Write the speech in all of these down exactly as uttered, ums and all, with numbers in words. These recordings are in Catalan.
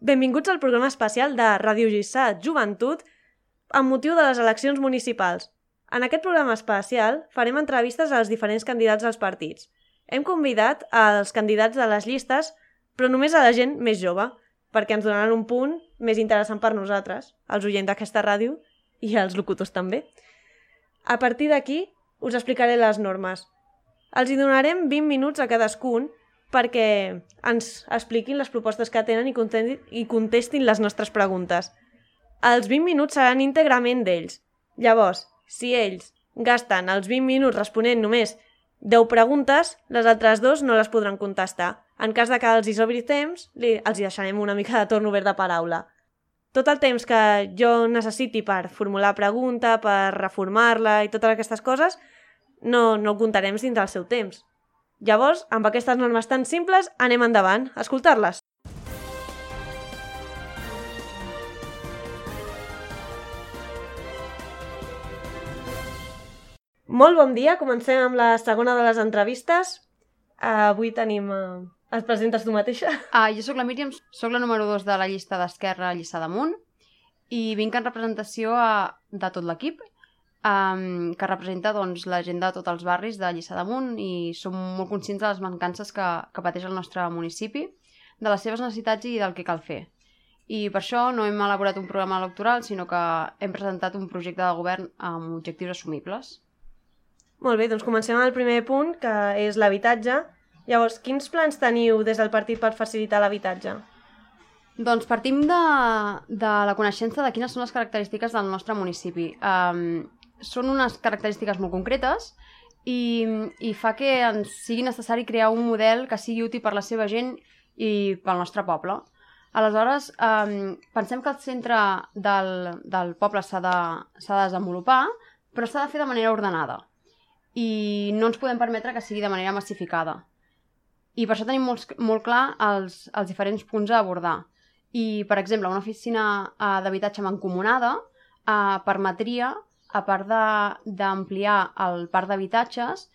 Benvinguts al programa especial de Ràdio Lliçà Joventut amb motiu de les eleccions municipals. En aquest programa especial farem entrevistes als diferents candidats dels partits. Hem convidat als candidats de les llistes, però només a la gent més jove, perquè ens donaran un punt més interessant per nosaltres, els oients d'aquesta ràdio i els locutors també. A partir d'aquí us explicaré les normes. Els hi donarem vint minuts a cadascun perquè ens expliquin les propostes que tenen i contestin, i contestin les nostres preguntes. Els vint minuts seran íntegrament d'ells. Llavors, si ells gasten els vint minuts responent només deu preguntes, les altres dos no les podran contestar. En cas de que els hi sobri temps, li, els hi deixarem una mica de torn obert de paraula. Tot el temps que jo necessiti per formular pregunta, per reformar-la i totes aquestes coses, no, no ho comptarem dins del seu temps. Llavors, amb aquestes normes tan simples, anem endavant a escoltar-les. Molt bon dia, comencem amb la segona de les entrevistes. Uh, avui tenim... Uh... Et presentes tu mateixa? Uh, jo sóc la Míriam, sóc la número dos de la llista d'Esquerra Lliçà d'Amunt i vinc en representació a, de tot l'equip, um, que representa doncs, la gent de tots els barris de Lliçà d'Amunt i som molt conscients de les mancances que, que pateix el nostre municipi, de les seves necessitats i del que cal fer. I per això no hem elaborat un programa electoral, sinó que hem presentat un projecte de govern amb objectius assumibles. Molt bé, doncs comencem amb el primer punt, que és l'habitatge. Llavors, quins plans teniu des del partit per facilitar l'habitatge? Doncs partim de, de la coneixença de quines són les característiques del nostre municipi. Um, són unes característiques molt concretes i, i fa que ens sigui necessari crear un model que sigui útil per la seva gent i pel nostre poble. Aleshores, um, pensem que el centre del, del poble s'ha de, s'ha de desenvolupar, però s'ha de fer de manera ordenada i no ens podem permetre que sigui de manera massificada. I per això tenim molt, molt clar els, els diferents punts a abordar. I, per exemple, una oficina uh, d'habitatge mancomunada uh, permetria, a part d'ampliar el parc d'habitatges,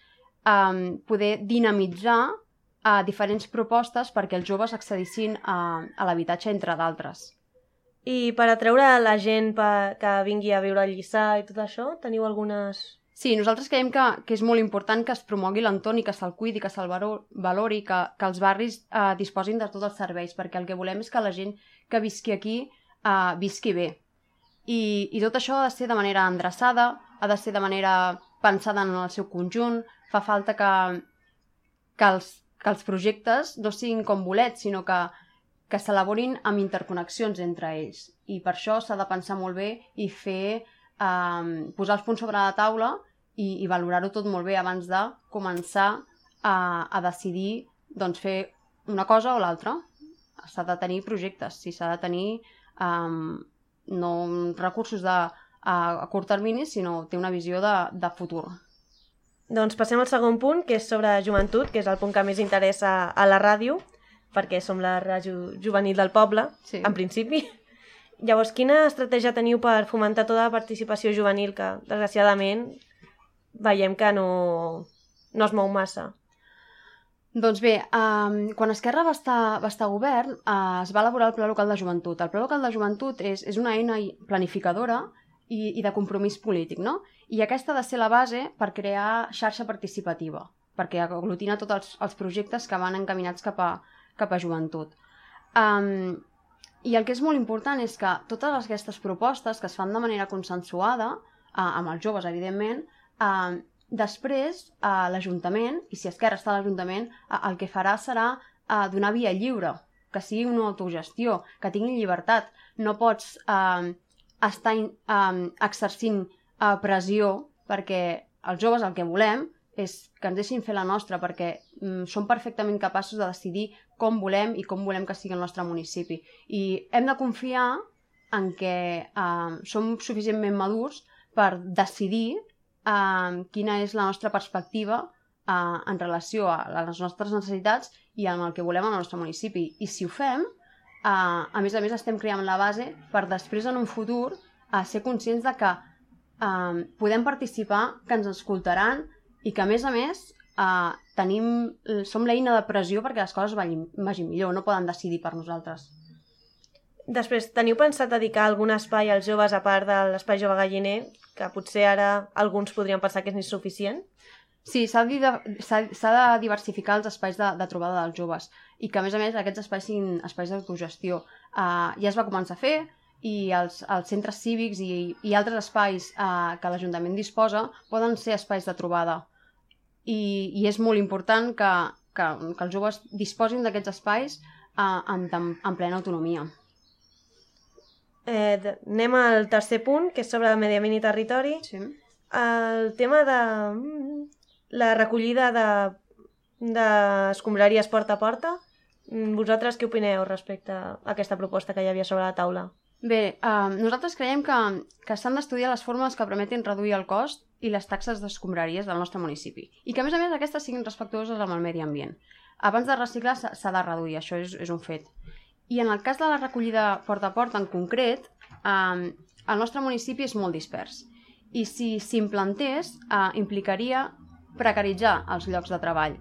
um, poder dinamitzar uh, diferents propostes perquè els joves accedissin a, a l'habitatge, entre d'altres. I per atreure la gent per, que vingui a viure a Lliçà i tot això, teniu algunes... Sí, nosaltres creiem que, que és molt important que es promogui l'entorn i que se'l cuidi, que se'l valori, que, que els barris eh, disposin de tots els serveis, perquè el que volem és que la gent que visqui aquí eh, visqui bé. I, I tot això ha de ser de manera endreçada, ha de ser de manera pensada en el seu conjunt, fa falta que, que, els, que els projectes no siguin com bolets, sinó que, que s'elaborin amb interconnexions entre ells. I per això s'ha de pensar molt bé i fer, eh, posar els punts sobre la taula i, i valorar-ho tot molt bé abans de començar a, a decidir doncs, fer una cosa o l'altra. S'ha de tenir projectes, sí, s'ha de tenir um, no recursos de, a, a curt termini, sinó té una visió de, de futur. Doncs passem al segon punt, que és sobre joventut, que és el punt que més interessa a la ràdio, perquè som la ràdio juvenil del poble, sí. En principi. Llavors, quina estratègia teniu per fomentar tota la participació juvenil, que desgraciadament veiem que no, no es mou massa? Doncs bé, um, quan Esquerra va estar, va estar a govern, uh, es va elaborar el Pla Local de Joventut. El Pla Local de Joventut és, és una eina planificadora i, i de compromís polític, no? I aquesta ha de ser la base per crear xarxa participativa, perquè aglutina tots els, els projectes que van encaminats cap a, cap a joventut. Um, I el que és molt important és que totes aquestes propostes que es fan de manera consensuada, uh, amb els joves, evidentment, uh, després uh, l'Ajuntament, i si Esquerra està a l'Ajuntament, uh, el que farà serà uh, donar via lliure, que sigui una autogestió, que tinguin llibertat. No pots uh, estar uh, exercint uh, pressió, perquè els joves el que volem és que ens deixin fer la nostra, perquè mm, som perfectament capaços de decidir com volem i com volem que sigui el nostre municipi. I hem de confiar en que eh, som suficientment madurs per decidir eh, quina és la nostra perspectiva eh, en relació a les nostres necessitats i amb el que volem al nostre municipi. I si ho fem, eh, a més a més estem creant la base per després en un futur eh, ser conscients de que eh, podem participar, que ens escoltaran i que a més a més uh, tenim, som l'eina de pressió perquè les coses vagin, vagin millor, no poden decidir per nosaltres. Després, teniu pensat dedicar algun espai als joves a part de l'espai jove galliner, que potser ara alguns podrien pensar que és insuficient? Sí, s'ha de diversificar els espais de, de trobada dels joves i que, a més a més, aquests espais siguin espais d'autogestió. Uh, ja es va començar a fer i els, els centres cívics i, i altres espais uh, que l'Ajuntament disposa poden ser espais de trobada. I, i és molt important que, que, que els joves disposin d'aquests espais uh, en, en plena autonomia. Eh, anem al tercer punt, que és sobre el medi ambient i territori. Sí. El tema de la recollida d'escombraries de, porta a porta. Vosaltres què opineu respecte a aquesta proposta que hi havia sobre la taula? Bé, uh, nosaltres creiem que, que s'han d'estudiar les fórmules que permetin reduir el cost i les taxes d'escombraries del nostre municipi. I que, a més a més, aquestes siguin respectuoses amb el medi ambient. Abans de reciclar s'ha de reduir, això és, és un fet. I en el cas de la recollida porta a porta en concret, uh, el nostre municipi és molt dispers. I si s'implantés, uh, implicaria precaritzar els llocs de treball.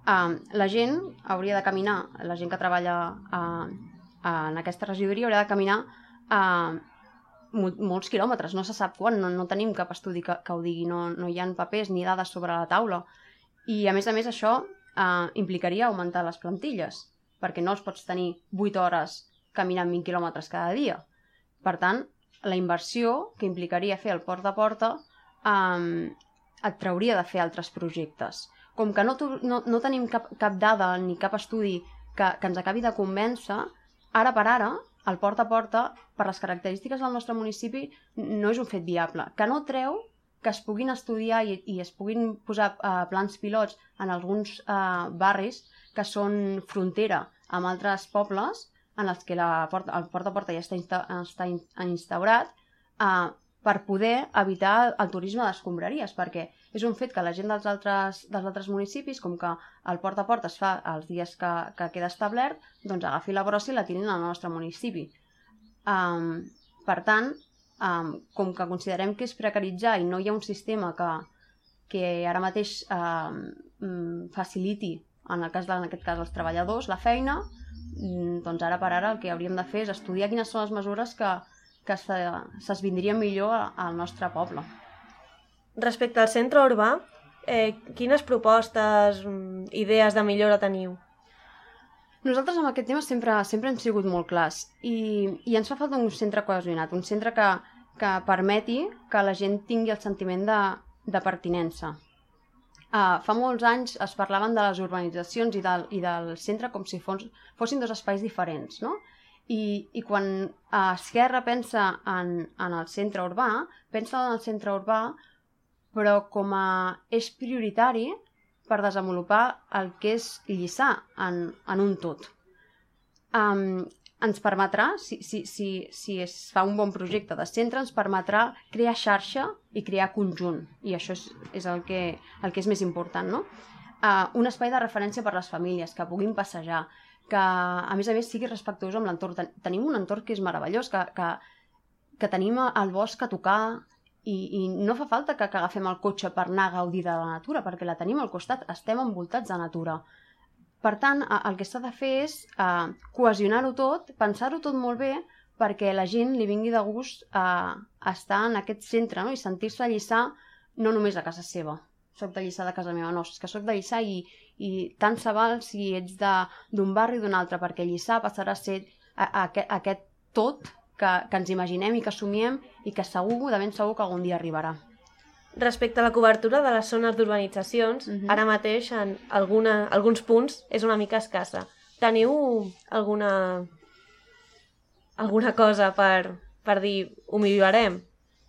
Uh, la gent hauria de caminar, la gent que treballa uh, uh, en aquesta regidoria hauria de caminar uh, mol molts quilòmetres, no se sap quan, no, no tenim cap estudi que, que ho digui, no, no hi ha papers ni dades sobre la taula. I a més a més això uh, implicaria augmentar les plantilles, perquè no els pots tenir vuit hores caminant vint quilòmetres cada dia. Per tant, la inversió que implicaria fer el porta a porta um, et trauria de fer altres projectes. Com que no, no, no tenim cap, cap dada ni cap estudi que, que ens acabi de convèncer, ara per ara, el porta a porta, per les característiques del nostre municipi, no és un fet viable. Que no treu que es puguin estudiar i, i es puguin posar uh, plans pilots en alguns uh, barris que són frontera amb altres pobles en els que la porta, el porta a porta ja està, insta, està instaurat, uh, per poder evitar el turisme d'escombraries, perquè és un fet que la gent dels altres, dels altres municipis, com que el porta a porta es fa els dies que, que queda establert, doncs agafi la brossa i la tirin al nostre municipi. Um, per tant, um, com que considerem que és precaritzar i no hi ha un sistema que, que ara mateix um, faciliti, en, el cas de, en aquest cas, els treballadors, la feina, doncs ara per ara el que hauríem de fer és estudiar quines són les mesures que que s'esvindrien millor al nostre poble. Respecte al centre urbà, eh, quines propostes, idees de millora teniu? Nosaltres amb aquest tema sempre, sempre hem sigut molt clars i, i ens fa falta un centre cohesionat, un centre que, que permeti que la gent tingui el sentiment de, de pertinença. Uh, fa molts anys es parlaven de les urbanitzacions i del, i del centre com si fos, fossin dos espais diferents, no? I, i quan Esquerra pensa en, en el centre urbà, pensa en el centre urbà, però com a eix prioritari per desenvolupar el que és Lliçà en, en un tot. Um, ens permetrà, si, si, si, si es fa un bon projecte de centre, ens permetrà crear xarxa i crear conjunt, i això és, és el, que, el que és més important, no? Uh, un espai de referència per a les famílies, que puguin passejar, que a més a més sigui respectuós amb l'entorn. Tenim un entorn que és meravellós, que, que, que tenim el bosc a tocar i, i no fa falta que, que agafem el cotxe per anar a gaudir de la natura, perquè la tenim al costat, estem envoltats de natura. Per tant, el que s'ha de fer és eh, cohesionar-ho tot, pensar-ho tot molt bé, perquè la gent li vingui de gust eh, estar en aquest centre, no? I sentir-se a Lliçà no només a casa seva. Soc de Lliçà de casa meva, no, és que soc de Lliçà i, i tant se val si ets d'un barri o d'un altre, perquè Lliçà passarà a ser a, a, a aquest tot que, que ens imaginem i que somiem i que segur, de ben segur que algun dia arribarà. Respecte a la cobertura de les zones d'urbanitzacions, uh-huh. ara mateix en alguna, alguns punts és una mica escassa. Teniu alguna, alguna cosa per, per dir ho millorarem?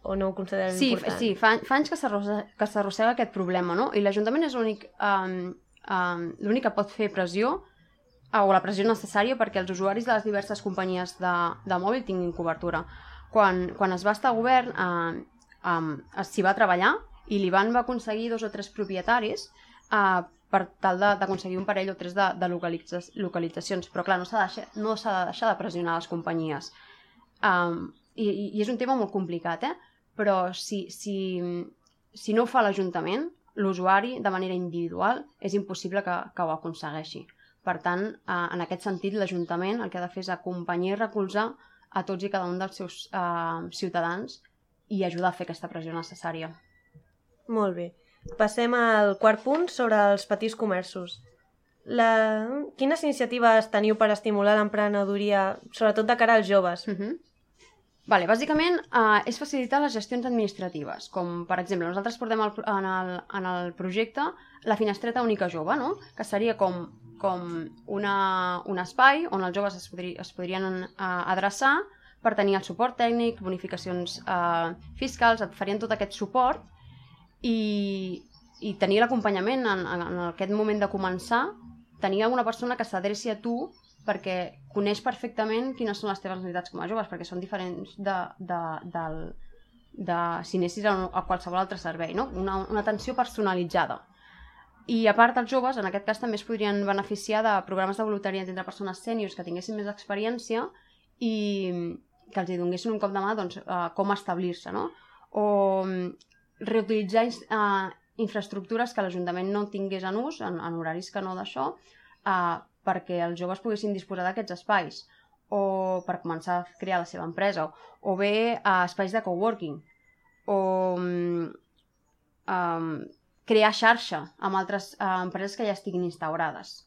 O no ho considerem sí, important? Sí, fa, fa anys que s'arrossega aquest problema, no? I l'Ajuntament és l'únic um, um, l'únic que pot fer pressió o la pressió necessària perquè els usuaris de les diverses companyies de, de mòbil tinguin cobertura. Quan, quan es va estar a govern uh, um, s'hi va treballar i l'Ivan va aconseguir dos o tres propietaris uh, per tal d'aconseguir un parell o tres de, de localitza, localitzacions, però clar, no s'ha de, deixar, no s'ha de deixar de pressionar les companyies. Um, i, I és un tema molt complicat, eh? Però si, si, si no ho fa l'Ajuntament, l'usuari, de manera individual, és impossible que, que ho aconsegueixi. Per tant, eh, en aquest sentit, l'Ajuntament el que ha de fer és acompanyar i recolzar a tots i cada un dels seus uh, ciutadans i ajudar a fer aquesta pressió necessària. Molt bé. Passem al quart punt sobre els petits comerços. La... Quines iniciatives teniu per estimular l'emprenedoria, sobretot de cara als joves? Uh-huh. Vale, bàsicament uh, és facilitar les gestions administratives, com per exemple nosaltres portem el, en, el, en el projecte la finestreta única jove, no? Que seria com, com una, un espai on els joves es, podri, es podrien uh, adreçar per tenir el suport tècnic, bonificacions uh, fiscals, et farien tot aquest suport i, i tenir l'acompanyament en, en, en aquest moment de començar, tenir alguna persona que s'adreci a tu perquè coneix perfectament quines són les teves necessitats com a joves, perquè són diferents de, de, de, de si anessis a, a qualsevol altre servei, no? Una, una atenció personalitzada. I a part, els joves, en aquest cas, també es podrien beneficiar de programes de voluntariat entre persones sèniors que tinguessin més experiència i que els hi donessin un cop de mà doncs, uh, com establir-se, no? O reutilitzar uh, infraestructures que l'Ajuntament no tingués en ús, en, en horaris que no d'això, uh, perquè els joves poguessin disposar d'aquests espais, o per començar a crear la seva empresa, o bé uh, espais de coworking, o um, um, crear xarxa amb altres uh, empreses que ja estiguin instaurades.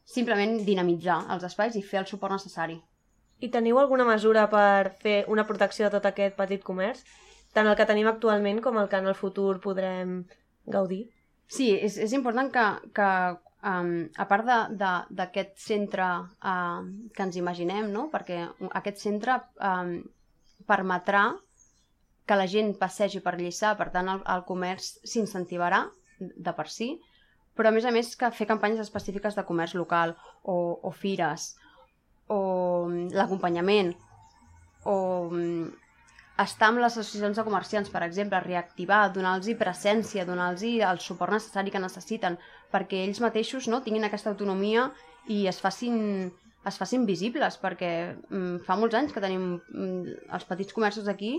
Simplement dinamitzar els espais i fer el suport necessari. I teniu alguna mesura per fer una protecció de tot aquest petit comerç? Tant el que tenim actualment com el que en el futur podrem gaudir? Sí, és, és important que, que um, a part d'aquest centre uh, que ens imaginem, no? Perquè aquest centre um, permetrà que la gent passegi per Lliçà, per tant el, el comerç s'incentivarà de per si, però a més a més que fer campanyes específiques de comerç local o, o fires, o l'acompanyament, o estar amb les associacions de comerciants, per exemple, reactivar, donar-los presència, donar-los el suport necessari que necessiten, perquè ells mateixos no, tinguin aquesta autonomia i es facin, es facin visibles, perquè mm, fa molts anys que tenim mm, els petits comerços aquí,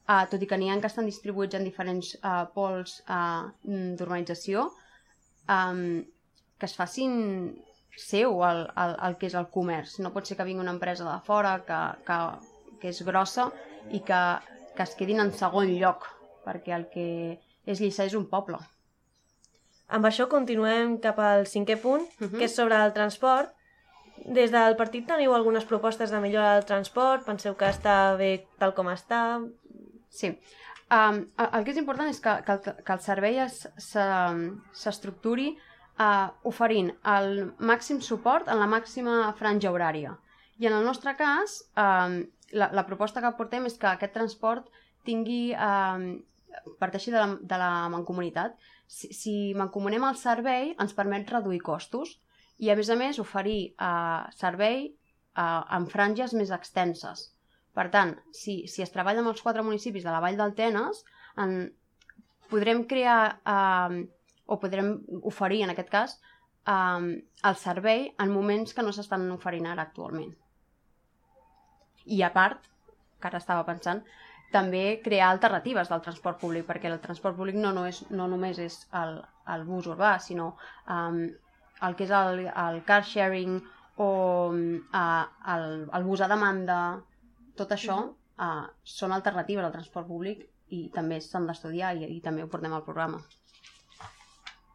Uh, tot i que n'hi ha que estan distribuïts en diferents uh, pols uh, d'urbanització, um, que es facin seu el, el, el que és el comerç. No pot ser que vingui una empresa de fora que, que, que és grossa i que, que es quedin en segon lloc, perquè el que és Lliçà és un poble. Amb això continuem cap al cinquè punt, uh-huh. que és sobre el transport. Des del partit teniu algunes propostes de millora del transport? Penseu que està bé tal com està? Sí. Um, el que és important és que, que, el, que el servei s'estructuri uh, oferint el màxim suport en la màxima franja horària. I en el nostre cas, um, la, la proposta que portem és que aquest transport tingui, um, parteixi de la, de la mancomunitat. Si, si mancomunem el servei, ens permet reduir costos i, a més a més, oferir uh, servei uh, en franges més extenses. Per tant, si, si es treballa amb els quatre municipis de la Vall del Tenes, en, podrem crear eh, o podrem oferir, en aquest cas, eh, el servei en moments que no s'estan oferint ara actualment. I a part, que ara estava pensant, també crear alternatives del transport públic, perquè el transport públic no, no, és, no només és el, el bus urbà, sinó eh, el que és el, el car sharing o eh, el, el bus a demanda. Tot això uh, són alternatives al transport públic i també s'han d'estudiar i, i també ho portem al programa.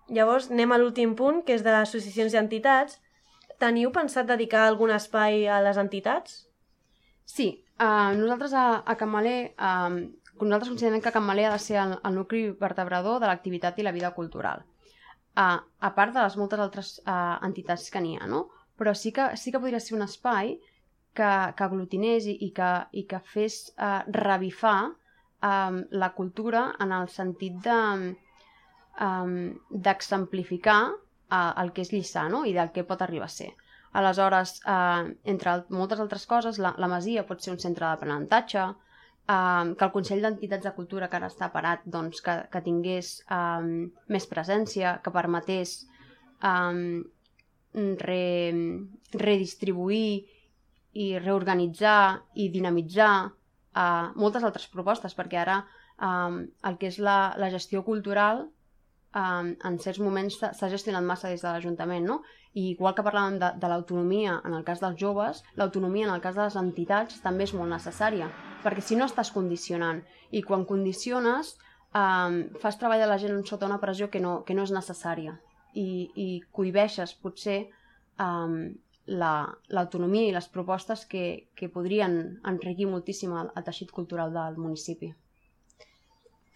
Llavors anem a l'últim punt, que és d'associacions i entitats. Teniu pensat dedicar algun espai a les entitats? Sí, uh, nosaltres a, a Can Malé, uh, nosaltres considerem que Can Malé ha de ser el, el nucli vertebrador de l'activitat i la vida cultural. Uh, a part de les moltes altres uh, entitats que n'hi ha, no? Però sí que, sí que podria ser un espai que, que aglutinés i, i, que, i que fes uh, revifar um, la cultura en el sentit de, um, d'exemplificar uh, el que és Lliçà, no? I del que pot arribar a ser. Aleshores, uh, entre al moltes altres coses, la, la Masia pot ser un centre d'aprenentatge, uh, que el Consell d'Entitats de Cultura, que ara està parat, doncs, que, que tingués um, més presència, que permetés um, re, redistribuir i reorganitzar i dinamitzar uh, moltes altres propostes, perquè ara um, el que és la, la gestió cultural um, en certs moments s'ha gestionat massa des de l'Ajuntament, no? I igual que parlàvem de, de l'autonomia en el cas dels joves, l'autonomia en el cas de les entitats també és molt necessària, perquè si no estàs condicionant, i quan condiciones um, fas treballar la gent sota una pressió que no, que no és necessària, i, i cohibeixes potser um, l'autonomia la, i les propostes que, que podrien enriquir moltíssim el, el teixit cultural del municipi.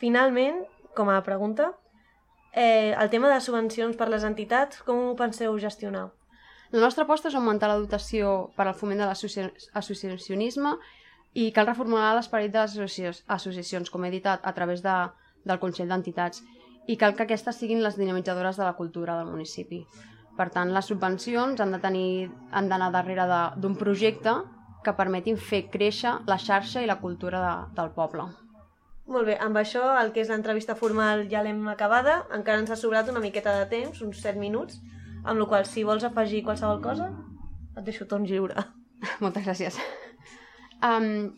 Finalment, com a pregunta, eh, el tema de subvencions per les entitats, com ho penseu gestionar? La nostra aposta és augmentar la dotació per al foment de l'associacionisme i cal reformular l'esperit de les associacions, com he dit, a, a través de, del Consell d'Entitats, i cal que aquestes siguin les dinamitzadores de la cultura del municipi. Per tant, les subvencions han de tenir, han d'anar darrere d'un projecte que permetin fer créixer la xarxa i la cultura de, del poble. Molt bé, amb això el que és l'entrevista formal ja l'hem acabada, encara ens ha sobrat una miqueta de temps, uns set minuts, amb la qual si vols afegir qualsevol cosa, et deixo torn lliure. Moltes gràcies. Um,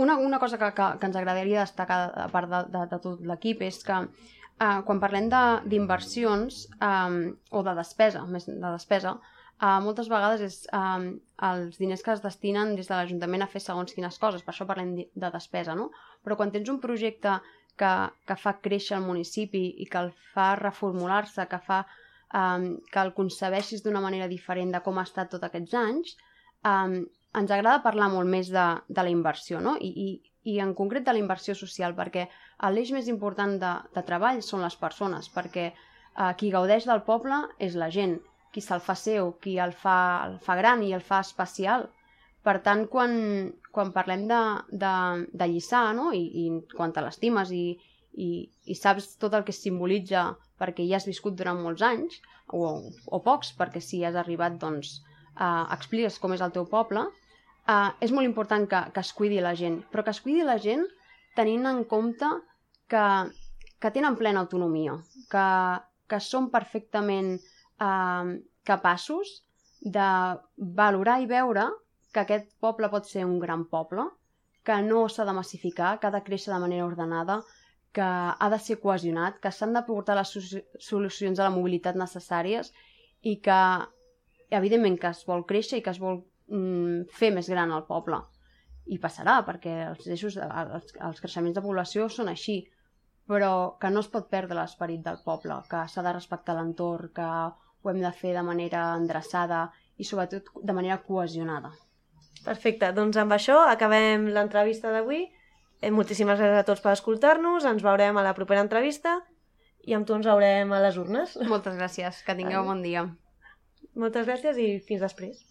una, una cosa que, que, que ens agradaria destacar a part de, de, de tot l'equip és que uh, quan parlem d'inversions um, o de despesa, més de despesa, uh, moltes vegades és um, els diners que es destinen des de l'Ajuntament a fer segons quines coses, per això parlem de despesa, no? Però quan tens un projecte que, que fa créixer el municipi i que el fa reformular-se, que fa um, que el concebeixis d'una manera diferent de com ha estat tots aquests anys, um, ens agrada parlar molt més de, de la inversió, no? I, i, i en concret de la inversió social, perquè l'eix més important de, de treball són les persones, perquè uh, qui gaudeix del poble és la gent, qui se'l fa seu, qui el fa, el fa gran i el fa especial. Per tant, quan, quan parlem de, de, de Lliçà, no? I, i quan te l'estimes i, i, i saps tot el que es simbolitza perquè hi has viscut durant molts anys, o, o pocs, perquè si has arribat, doncs, uh, expliques com és el teu poble, Uh, és molt important que, que es cuidi la gent, però que es cuidi la gent tenint en compte que, que tenen plena autonomia, que, que són perfectament uh, capaços de valorar i veure que aquest poble pot ser un gran poble, que no s'ha de massificar, que ha de créixer de manera ordenada, que ha de ser cohesionat, que s'han de portar les solucions a la mobilitat necessàries i que, evidentment, que es vol créixer i que es vol fer més gran el poble. I passarà, perquè els, eixos, els, els creixements de població són així, però que no es pot perdre l'esperit del poble, que s'ha de respectar l'entorn, que ho hem de fer de manera endreçada i sobretot de manera cohesionada. Perfecte, doncs amb això acabem l'entrevista d'avui. Eh, moltíssimes gràcies a tots per escoltar-nos, ens veurem a la propera entrevista i amb tu ens veurem a les urnes. Moltes gràcies, que tingueu bon dia. Moltes gràcies i fins després.